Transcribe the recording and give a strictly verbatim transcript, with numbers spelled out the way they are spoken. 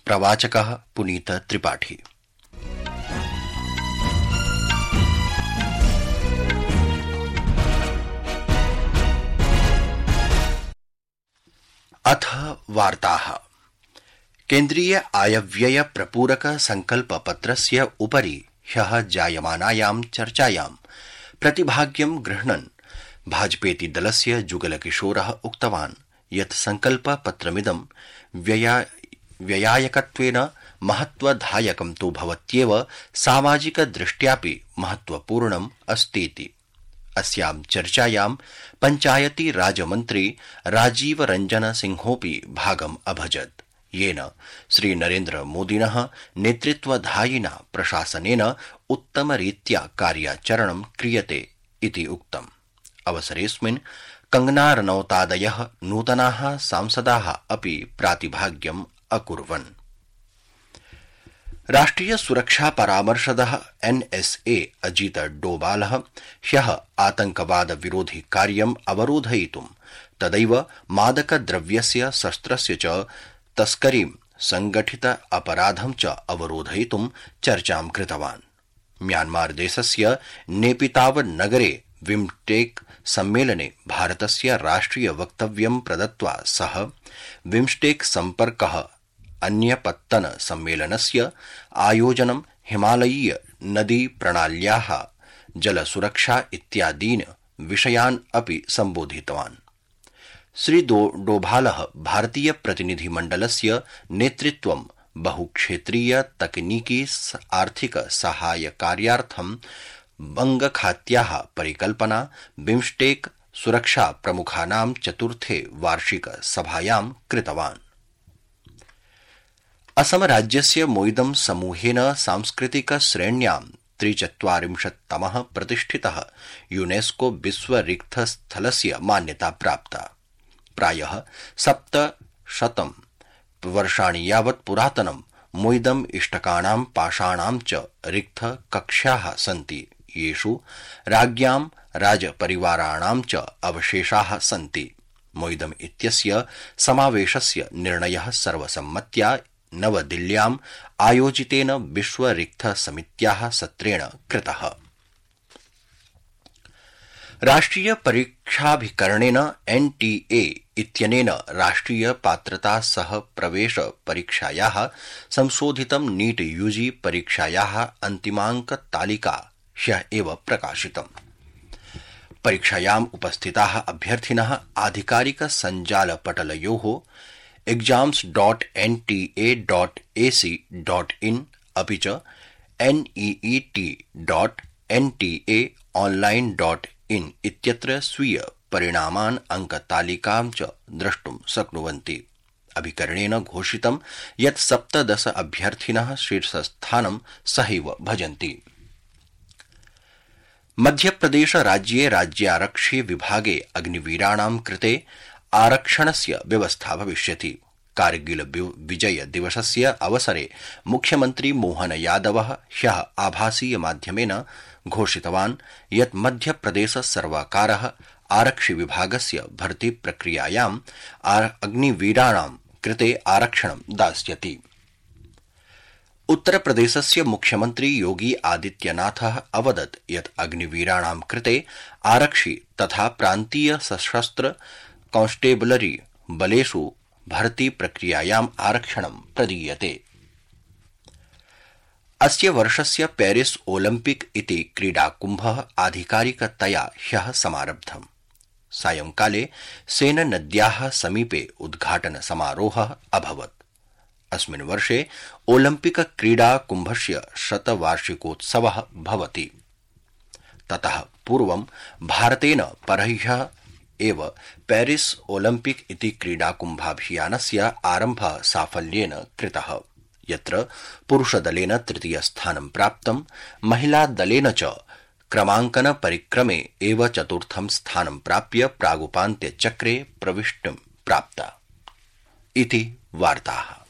प्रवाचकः पुनीत त्रिपाठी। अथ वार्ताः। केन्द्रीय आयव्यय प्रपूरक संकल्प पत्रस्य उपरि ह्यः जायमानायां चर्चायां प्रतिभाग्यं गृह्णन् भाजपेति दलस्य जुगलकिशोरः उक्तवान् यत् संकल्प पत्रमिदं व्यया व्ययायकत्वेन महत्वधायकं तु भवत्येव सामाजिक दृष्ट्यापि महत्वपूर्णम् अस्तीति। अस्यां चर्चायां पंचायती राजमन्त्री राजीव रंजन सिंहोऽपि भागम् अभजत्, येन श्रीनरेन्द्र मोदिनः नेतृत्वधायिना प्रशासनेन उत्तमरीत्या कार्याचरणं क्रियते इति उक्तम्। अवसरेऽस्मिन् कंगना रनौतादयः नूतनाः सांसदाः अपि प्रातिभाग्यम् अकुर्वन्। राष्ट्रिय सुरक्षा परामर्शदः एनएसए अजीत डोभालः ह्यः आतंकवाद विरोधि कार्यम् अवरोधयितुं तदैव मादकद्रव्यस्य शस्त्रस्य च तस्करीं संगठित अपराधं च अवरोधयितुं चर्चां कृतवान्। म्यांमार देशस्य नेपिताव नगरे विम्स्टेक सम्मेलने भारतस्य राष्ट्रिय वक्तव्यं प्रदत्त्वा सः विम्स्टेक सम्पर्कः अन्यपत्तन सम्मेलनस्य आयोजनं हिमालयीय नदी प्रणाल्याः जलसुरक्षा इत्यादीन् विषयान् अपि सम्बोधितवान्। श्री डोभालः भारतीय प्रतिनिधिमण्डलस्य नेतृत्वं बहुक्षेत्रीय तकनीकी आर्थिक सहायकार्यार्थं बंगखात्याः परिकल्पना बिम्स्टेक सुरक्षा प्रमुखानां चतुर्थे वार्षिक सभायां कृतवान्। असम राज्यस्य मोइदम समूहेन सांस्कृतिक श्रेण्यां त्रिचत्वारिंशत्तमः प्रतिष्ठितः यूनेस्को विश्व रिक्थस्थलस्य मान्यता प्राप्ता। प्रायः सप्तशतं वर्षाणि यावत् पुरातनं मोइदम इष्टकानां पाषाणां च रिक्त कक्ष्याः सन्ति, येषु राज्ञां राजपरिवाराणां च अवशेषाः सन्ति। मोइदम इत्यस्य समावेशस्य निर्णयः सर्वसम्मत्या नवदिल्ल्याम् आयोजितेन विश्व रिक्त समित्याः सत्रेण कृतः। राष्ट्रिय परीक्षाभिकरणेन एनटीए इत्यनेन राष्ट्रिय पात्रता सह प्रवेश परीक्षायाः संशोधितं नीट यूजी परीक्षायाः अन्तिमाङ्क तालिका ह्यः एव प्रकाशितम्। परीक्षायाम् उपस्थिताः अभ्यर्थिनः आधिकारिक सञ्जालपटलयोः exams dot N T A dot A C dot in अपि च NEET dot N T A online dot in इत्यत्र स्वीय परिणामान् अंकतालिकां च द्रष्टुं शक्नुवन्ति। अभिकरणेन घोषितं यत् सप्तदश अभ्यर्थिनः शीर्षस्थानं सहैव भजन्ति। मध्यप्रदेश राज्ये राज्यारक्षि विभागे अग्निवीराणां कृते आरक्षणस्य व्यवस्था भविष्यति। कारगिल विजय दिवसस्य अवसरे मुख्यमन्त्री मोहन यादवः ह्यः आभासीय माध्यमेन घोषितवान् यत् मध्यप्रदेश सर्वकारः आरक्षि विभागस्य भर्ती प्रक्रियायाम् अग्निवीराणां कृते आरक्षणं दास्यति। उत्तरप्रदेशस्य मुख्यमन्त्री योगी आदित्यनाथः अवदत् यत् अग्निवीराणां कृते आरक्षि तथा प्रान्तीय सशस्त्र कांस्टेबलरी बलेषु भर्ती प्रक्रियायाम् आरक्षणं प्रदीयते। अस्य वर्षस्य पेरिस ओलिम्पिक इति क्रीडाकुम्भः आधिकारिकतया ह्यः समारब्धम्। सायंकाले सेन नद्याः समीपे उद्घाटन समारोहः अभवत्। अस्मिन् वर्षे ओलिम्पिक क्रीडाकुम्भस्य शतवार्षिकोत्सवः भवति। ततः पूर्वं भारतेन परह्यः एव पेरिस ओलिम्पिक इति क्रीडाकुम्भाभियानस्य आरम्भः साफल्येन कृतः, यत्र पुरुषदलेन तृतीयस्थानं प्राप्तं, महिलादलेन च क्रमाङ्कन परिक्रमे एव चतुर्थं स्थानं प्राप्य प्रागुपान्त्यचक्रे प्रविष्टिं प्राप्ता। इति वार्ताः।